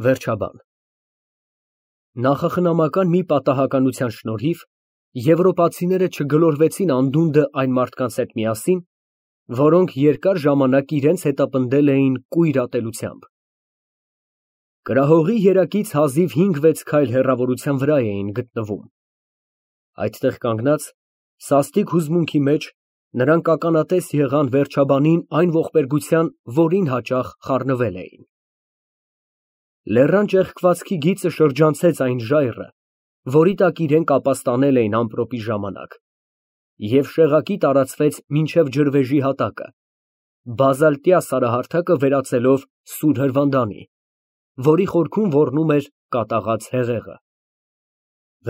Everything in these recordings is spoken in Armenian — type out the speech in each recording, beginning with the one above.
Վերջաբան Նախախնամական մի պատահականության շնորհիվ եվրոպացիները չգլորվեցին անդունդը այն մարդկանց հետ միասին, որոնք երկար ժամանակ իրենց հետապնդել էին կույր ատելությամբ։ Կրահողի երակից հազիվ 5-6 քայլ հեռավորության վրա էին գտնվում։ Այդտեղ կանգնած, սաստիկ հուզմունքի մեջ, նրանք ականատես եղան վերջաբանին այն ողբերգության, որին հաճախ խառնվել էին։ Լեռան ճեղքվածքի գիծը շրջանցեց այն ժայռը, որի տակ իրենք ապաստանել էին ամպրոպի ժամանակ, և շեղակի տարածվեց մինչև ջրվեժի հատակը, բազալտյա սարահարթակը վերածելով սուր հրվանդանի, որի խորքում ոռնում էր կատաղած հեղեղը։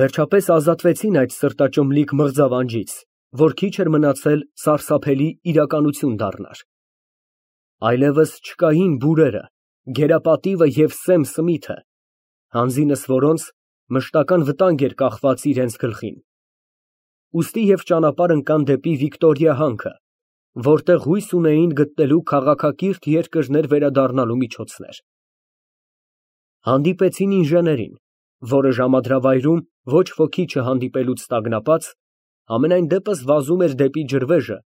Վերջապես ազատվեցին այդ սրտաճմլիկ մղձավանջից, որ քիչ էր մնացել սարսափելի իրականություն դառնար։ Այլևս չկային բուրերը, գերապատիվը և սեմ սմիթը, հանձինս որոնց մշտական վտանգ էր կախված իրենց գլխին։ Ուստի և ճանապարհ ընկան դեպի Վիկտորիա հանքը, որտեղ հույս ունեին գտնելու քաղաքակիրթ երկրներ վերադառնալու միջոցներ։ Հանդիպեցին ինժեներին, որը ժամադրավայրում ոչ ոքի չհանդիպելուց տագնապած, համենայն դեպս վազում էր դեպի ջրվեժը,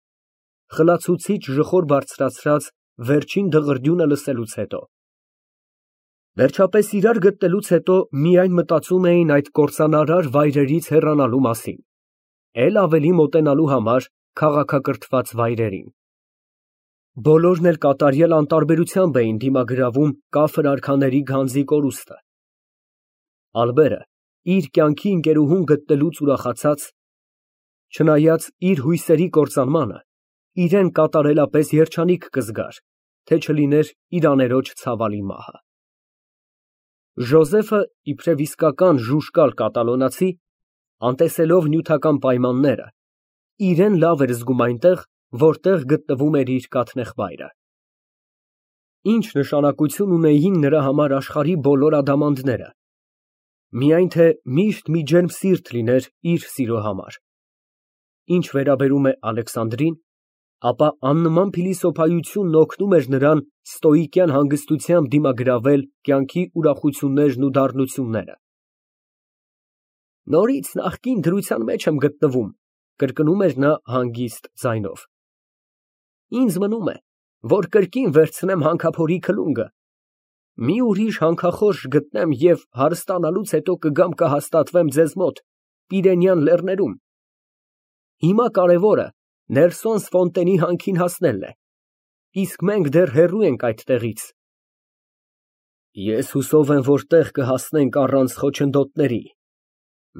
խլացուցիչ ժխոր բարձրացրած վերջին դղրդյունը լսելուց հետո։ Վերջապես իրար գտնելուց հետո միայն մտածում էին այդ կործանարար վայրերից հեռանալու մասին, էլ ավելի մոտենալու համար քաղաքակրթված վայրերին։ Բոլորն էլ կատարյալ անտարբերությամբ էին դիմագրավում կաֆր արքաների գանձի կորուստը։ Ալբերը իր կյանքի ընկերուհուն գտնելուց ուրախացած, չնայած իր հույսերի կործանմանը, իրեն կատարելապես երջանիկ կզգար, թե չլիներ իր աներոջ ցավալի մահը։ Ժոզեֆը, իբրև իսկական ժուժկալ կատալոնացի, անտեսելով նյութական պայմանները, իրեն լավ էր զգում այնտեղ, որտեղ գտնվում էր իր կաթնեխվայրը։ Ինչ նշանակություն ունեին նրա համար աշխարհի բոլոր ադամանդները, միայն թե միշտ մի ջերմ սիրտ լիներ իր սիրո համար։ Ինչ վերաբերում է Ալեքսանդրին, ապա աննման փիլիսոփայությունն օգնում էր նրան ստոիկյան հանգստությամբ դիմագրավել կյանքի ուրախություններն ու դառնությունները։ Նորից նախկին դրության մեջ եմ գտնվում, կրկնում էր նա հանգիստ ձայնով։ Ինձ մնում է, որ կրկին վերցնեմ հանքափորի քլունգը, մի ուրիշ հանքախորշ գտնեմ և հարստանալուց հետո կգամ կհաստատվեմ ձեզ մոտ Պիրենյան լեռներում։ Հիմա կարևորը Նելսոնս Ֆոնտենի հանքին հասնելն է, իսկ մենք դեռ հեռու ենք այդ տեղից։ Ես հուսով եմ, որ տեղ կհասնենք առանց խոչընդոտների։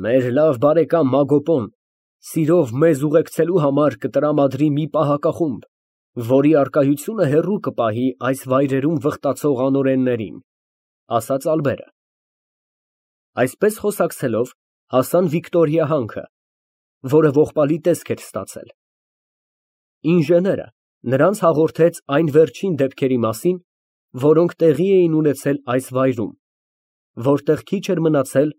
Մեր լավ բարեկամ Մագոպոն սիրով մեզ ուղեկցելու համար կտրամադրի մի պահակախումբ, որի առկայությունը հեռու կպահի այս վայրերում վխտացող անօրեններին, ասաց Ալբերը։ Այսպես խոսակցելով հասան Վիկտորիա հանքը, որը ողբալի տեսք էր ստացել։ Ինժեները նրանց հաղորդեց այն վերջին դեպքերի մասին, որոնք տեղի էին ունեցել այս վայրում, որտեղ քիչ էր մնացել,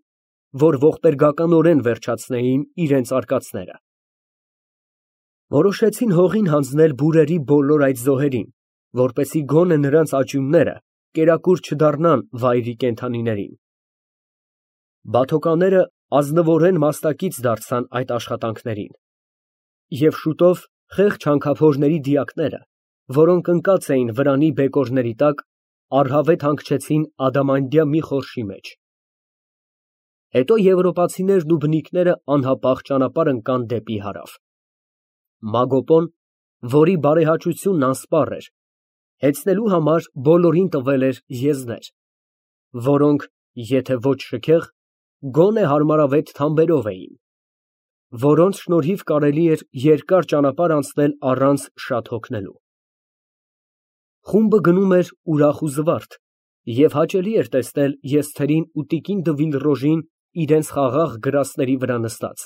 որ ողբերգականորեն վերջացնեին իրենց արկածները։ Որոշեցին հողին հանձնել բուրերի բոլոր այդ զոհերին, որպեսզի գոնե նրանց աճյունները կերակուր չդառնան վայրի կենդանիներին։ Բաթոկանները ազնվորեն մասնակից դարձան այդ աշխատանքներին, և շուտով խեղճ հանքափորների դիակները, որոնք ընկած էին վրանի բեկորների տակ, առհավետ հանգչեցին ադամանդյա մի խորշի մեջ։ Հետո եվրոպացիներն ու բնիկները անհապաղ ճանապարհ ընկան դեպի հարավ։ Մագոպոն, որի բարեհաճությունն անսպառ էր, հեծնելու համար բոլորին տվել էր եզներ, որոնք, եթե ոչ շքեղ, գոնե հարմարավետ թամբերով էին, որոնց շնորհիվ կարելի էր երկար ճանապարհ անցնել առանց շատ հոգնելու։ Խումբը գնում էր ուրախ ու զվարթ, և հաճելի էր տեսնել եզթերին ու տիկին Դվիլռոժին իրենց խաղաղ գրաստների վրա նստած,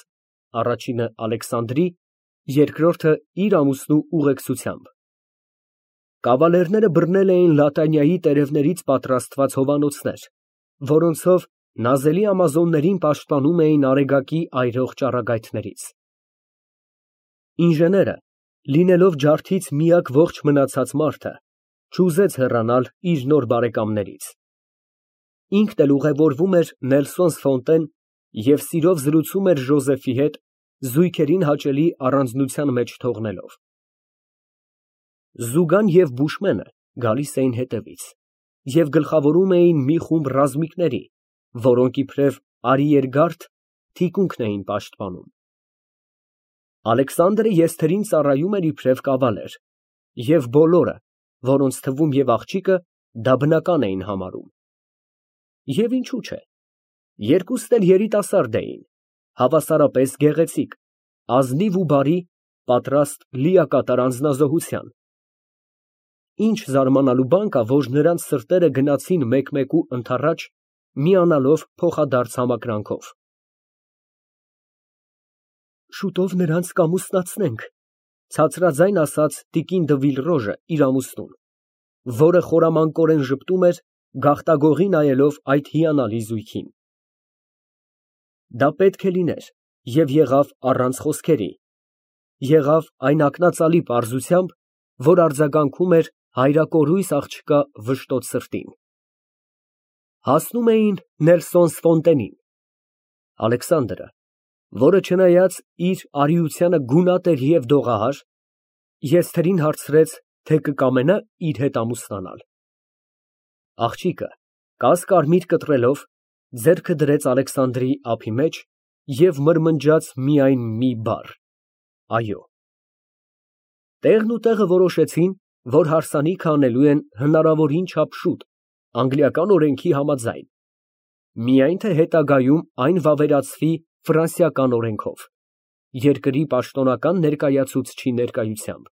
առաջինը Ալեքսանդրի, երկրորդը իր ամուսնու ուղեկցությամբ։ Կավալերները բռնել էին Լատանիայի տերևներից պատրաստված հովանոցներ, որոնցով նազելի ամազոններին պաշտպանում էին արեգակի այրող ճառագայթներից։ Ինժեները, լինելով ջարդից միակ ողջ մնացած մարդը, չուզեց հեռանալ իր նոր բարեկամներից։ Ինքն էլ ուղևորվում էր Նելսոնս Ֆոնտեն և սիրով զրուցում էր Ժոզեֆի հետ, զույգերին հաճելի առանձնության մեջ թողնելով։ Զուգան և բուշմենը գալիս էին հետևից և գլխավորում էին մի խումբ ռազմիկների, որոնք իբրև արիերգարդ թիկունքն էին պաշտպանում։ Ալեքսանդրը եզթերին ծառայում էր իբրև կավալեր, և բոլորը, որոնց թվում և աղջիկը, դա բնական էին համարում։ Եվ ինչու՞ չէ, երկուսն էլ երիտասարդ էին, հավասարապես գեղեցիկ, ազնիվ ու բարի, պատրաստ լիակատար անձնազոհության։ Ինչ զարմանալու բան կա, որ նրանց սրտերը գնացին մեկ֊մեկու ընդառաջ, միանալով փոխադարձ համակրանքով։ Շուտով նրանց կամուսնացնենք, ցածրաձայն ասաց տիկին դը Վիլրոժը իր ամուսնուն, որը խորամանկորեն ժպտում էր, գաղտագողի նայելով այդ հիանալի զույգին։ Դա պետք է լիներ և եղավ առանց խոսքերի, եղավ այն ակնածալի պարզությամբ, որ արձագանքում էր հայրակորույս աղջկա վշտոտ սրտին։ Հասնում էին Նելսոնս Ֆոնտենին։ Ալեքսանդրը, որը չնայած իր արիությանը գունատ էր և դողահար, եզթերին հարցրեց, թե կկամենա իր հետ ամուսնանալ։ Աղջիկը, կաս֊կարմիր կտրելով, ձեռքը դրեց Ալեքսանդրի ափի մեջ և մրմնջաց միայն մի բառ. «Այո»։ Տեղն ու տեղը որոշեցին, որ հարսանիքը անելու են հնարավորին չափ շուտ, անգլիական օրենքի համաձայն, միայն թե հետագայում այն վավերացվի ֆրանսիական օրենքով, երկրի պաշտոնական ներկայացուցչի ներկայությամբ։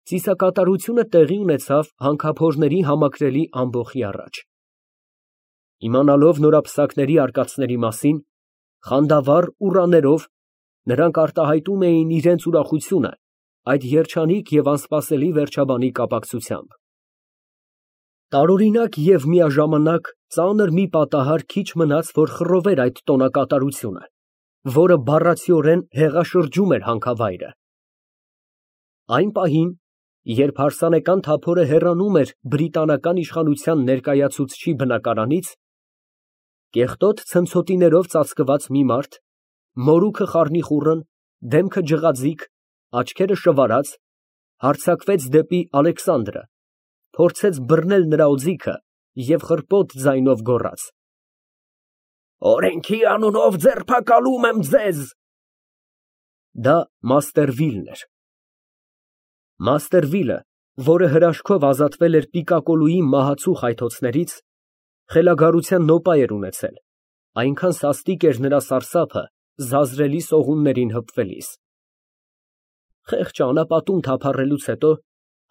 Ծիսակատարությունը տեղի ունեցավ հանքափորների համակրելի ամբոխի առաջ։ Իմանալով նորապսակների արկածների մասին, խանդավառ ուռաներով նրանք արտահայտում էին իրենց ուրախությունը այդ երջանիկ և անսպասելի վերջաբանի կապակցությամբ։ Տարօրինակ և միաժամանակ ծանր մի պատահար քիչ մնաց, որ խռովեր այդ տոնակատարությունը, որը բառացիորեն հեղաշրջում էր հանքավայրը։ Այն պահին, երբ հարսանեկան թափորը հեռանում էր բրիտանական իշխանության ներկայացուցչի բնակարանից, կեղտոտ ցնցոտիներով ծածկված մի մարդ, մորուքը խառնիխուռն, դեմքը ջղաձիգ, աչքերը շվարած, հարձակվեց դեպի Ալեքսանդրը, փորձեց բռնել նրա օձիքը և խռպոտ ձայնով գոռաց. «Օրենքի անունով ձերբակալում եմ ձեզ»։ Դա մաստեր Վիլն էր։ Մաստեր Վիլը, որը հրաշքով ազատվել էր պիկակոլուի մահացու խայթոցներից, խելագարության նոպա էր ունեցել, այնքան սաստիկ էր նրա սարսափը զազրելի սողուններին հպվելիս։ Խեղճը անապատում թափառելուց հետո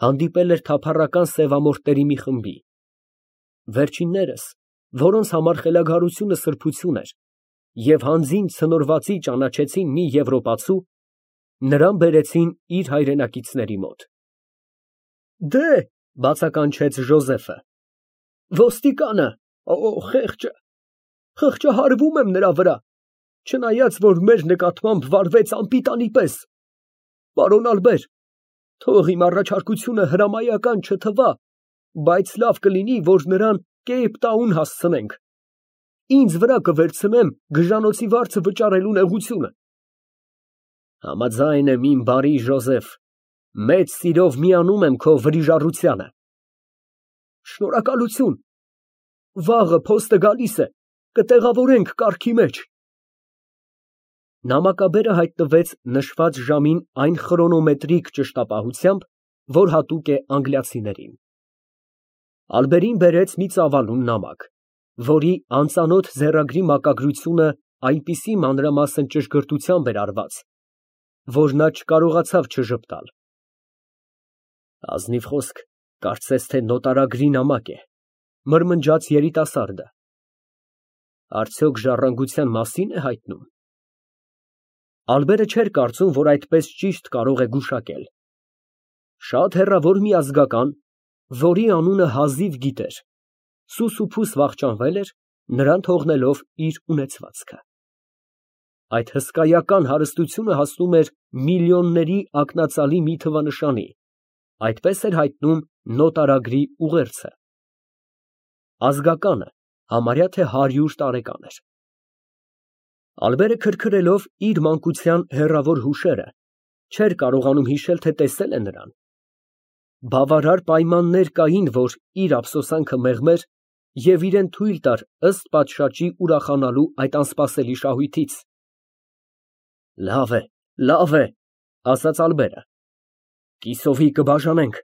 հանդիպել էր թափառական սևամորթների մի խմբի։ Վերջիններս, որոնց համար խելագարությունը սրբություն էր, և հանձին ցնորվածի ճանաչեցին մի եվրոպացու, նրան բերեցին իր հայրենակիցների մոտ։ «Դե՜հ», բացականչեց Ժոզեֆը, «ոստիկանը, խեղճը, հարվում եմ նրա վրա, չնայած որ մեր նկատմամբ վարվեց անպիտանի պես։ Պարոն Ալբեր, թող իմ առաջարկությունը հրամայական չթվա, բայց լավ կլինի, որ նրան կեպ տաուն հասցնենք։ Ինձ վրա կվերցնեմ գժանոցի վարձը վճարելու նեղությունը»։ Համաձայն եմ, իմ բարի Ժոզեֆ, մեծ սիրով միանում եմ քո վրիժառությանը։ Շնորհակալություն, վաղը փոստը գալիս է, կտեղավորենք կառքի մեջ։ Նամակաբերը հայտնվեց նշված ժամին այն խրոնոմետրիկ ճշտապահությամբ, որ հատուկ է անգլիացիներին։ Ալբերին բերեց մի ծավալուն նամակ, որի անծանոթ ձեռագրի մակագրությունը այնպիսի մանրամասն ճշգրտությամբ էր արված, որ նա չկարողացավ չժպտալ։ Ազնիվ խոսք, կարծես թե նոտարագրի նամակ է, մրմնջաց երիտասարդը։ Արդյոք ժառանգության մասի՞ն է հայտնում։ Ալբերը չէր կարծում, որ այդպես ճիշտ կարող է գուշակել։ Շատ հեռավոր մի ազգական, որի անունը հազիվ գիտեր, սուսուփուս վախճանվել էր, նրան թողնելով իր ունեցվածքը։ Այդ հսկայական հարստությունը հասնում էր միլիոնների ակնածալի մի թվանշանի, այդպես էր հայտնում նոտարագրի ուղերձը։ ազգականը, համարյա թե 100 տարեկան էր։ Ալբերը քրքրելով իր մանկության հեռավոր հուշերը, չէր կարողանում հիշել, թե տեսել է նրան։ Բավարար պայմաններ կային, որ իր ափսոսանքը մեղմեր և իրան թույլ տար ըստ պատշաճի ուրախանալու այդ անսպասելի շահույթից։ Լավ է, ասաց ալբերը, կիսովի կբաժանենք,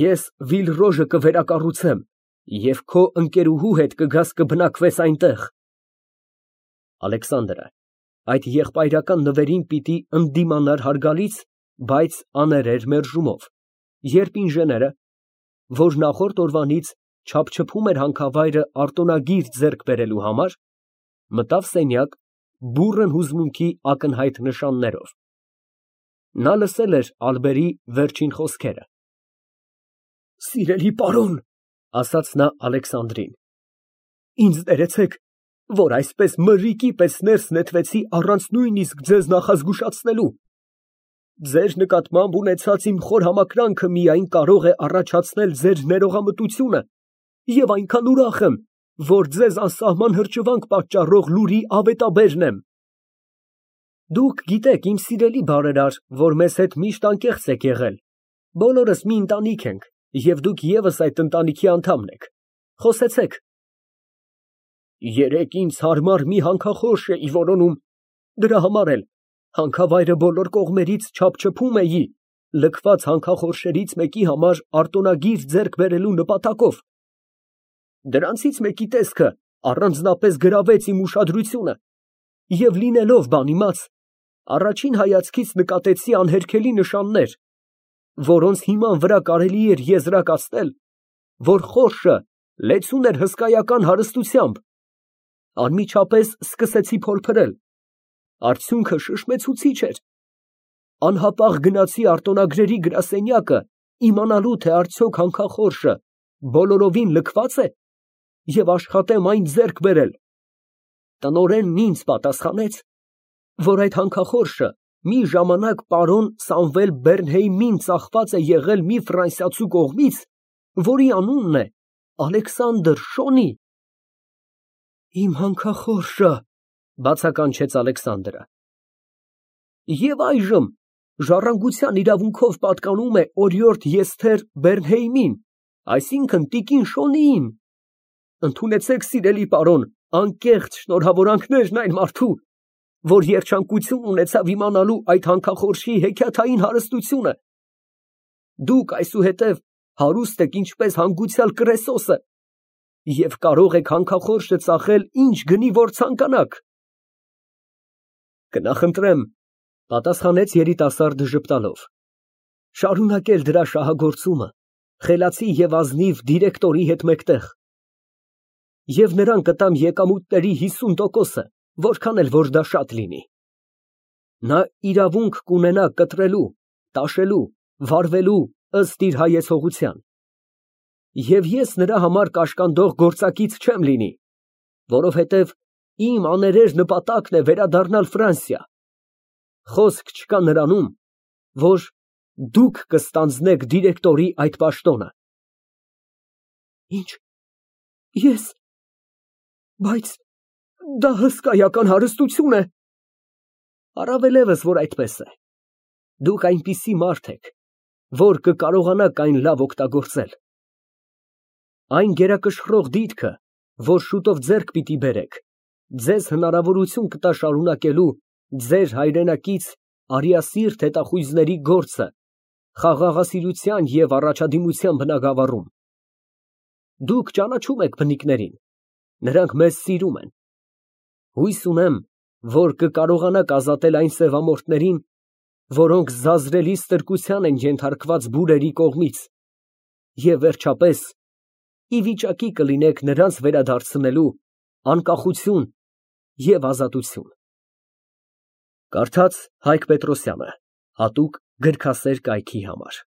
ես Վիլռոժը կվերակառուցեմ և քո ընկերուհու հետ կգաս կբնակվես այնտեղ։ Ալեքսանդրը այդ եղբայրական նվերին պիտի ընդդիմանար հարգալից, բայց աներեր մերժումով, երբ ինժեները, որ նախորդ օրվանից չափչփում էր հանքավայրը արտոնագիր ձեռք բերելու համար, մտավ սենյակ բուռն հուզմունքի ակնհայտ նշաններով։ Նա լսել էր ալբերի վերջին խոսքերը։ Սիրելի պարոն, ասաց նա Ալեքսանդրին, ինձ ներեցեք, որ այսպես մրրիկի պես ներս նետվեցի առանց նույնիսկ ձեզ նախազգուշացնելու։ Ձեր նկատմամբ ունեցած իմ խոր համակրանքը միայն կարող է առաջացնել ձեր ներողամտությունը և այնքան ուրախ եմ, որ ձեզ անսահման հրճվանք պատճառող լուրի ավետաբերն եմ։ Դուք գիտեք, իմ սիրելի բարերար, որ մեզ հետ միշտ անկեղծ եք եղել, բոլորս մի ընտանիք ենք, և դուք ևս այդ ընտանիքի անդամն եք, խոսեցեք։ Երեկ ինձ հարմար մի հանքախորշ էի որոնում, դրա համար էլ հանքավայրը բոլոր կողմերից չափչփում էի, լքված հանքախորշերից մեկի համար արտոնագիր ձեռք բերելու նպատակով։ Դրանցից մեկի տեսքը առանձնապես գրավեց իմ ուշադրությունը և լինելով բանիմաց, առաջին հայացքից նկատեցի անհերքելի նշաններ, որոնց հիման վրա կարելի էր եզրակացնել, որ խորշը լեցուն էր հսկայական հարստությամբ։ Անմիջապես սկսեցի փորփրել, արդյունքը շշմեցուցիչ էր։ Անհապաղ գնացի արտոնագրերի գրասենյակը իմանալու, թե արդյոք հանքախորշը բոլորովին լքված է և աշխատեմ այն ձեռք բերել։ Տնօրենն ինձ պատասխանեց, որ այդ հանքախորշը մի ժամանակ պարոն Սամվել Բեռնհեյմին ծախված է եղել մի ֆրանսիացու կողմից, որի անունն է Ալեքսանդր Շոնի։ Իմ հանքախորշը, բացականչեց Ալեքսանդրը, և այժմ ժառանգության իրավունքով պատկանում է օրիորդ Եսթեր Բեռնհեյմին, այսինքն տիկին Շոնիին։ Ընդունեցեք, սիրելի պարոն, անկեղծ շնորհավորանքներն այն մարդու, որ երջանկություն ունեցավ իմանալու այդ հանքախորշի հեքիաթային հարստությունը։ Դուք այսուհետև հարուստ եք ինչպես հանգուցյալ Կրեսոսը և կարող եք հանքախորշը ծախել ինչ գնի որ ցանկանաք։ Կնախընտրեմ, պատասխանեց երիտասարդը ժպտալով, շարունակել դրա շահագործումը խելացի և ազնիվ դիրեկտորի հետ մեկտեղ, և նրան կտամ եկամուտների 50%-ը, որքան էլ որ դա շատ լինի։ Նա իրավունք կունենա կտրելու, տաշելու, վարվելու ըստ իր հայեցողության։ Եվ ես նրա համար կաշկանդող գործակից չեմ լինի, որովհետև իմ աներեր նպատակն է վերադառնալ Ֆրանսիա։ Խոսք չկա նրանում, որ դուք կստանձնեք դիրեկտորի այդ պաշտոնը։ Ինչ, ես… Բայց դա հսկայական հարստություն է։ Առավելևս, որ այդպես է։ Դուք այնպիսի մարդ եք, որ կկարողանաք այն լավ օգտագործել։ Այն գերակշռող դիտքը, որ շուտով ձեռք պիտի բերեք, ձեզ հնարավորություն կտա շարունակելու ձեր հայրենակից արիասիրտ հետախույզների գործը խաղաղասիրության և առաջադիմության բնագավառում։ Դուք ճանաչում եք բնիկներին, նրանք մեզ սիրում են։ Հույս ունեմ, որ կկարողանաք ազատել այն սևամորթներին, որոնք զազրելի ստրկության են ենթարկված բուրերի կողմից, և վերջապես ի վիճակի կլինեք նրանց վերադարձնելու անկախություն և ազատություն։ Կարդաց Հայկ Պետրոսյանը, հատուկ գրքասեր կայքի համար։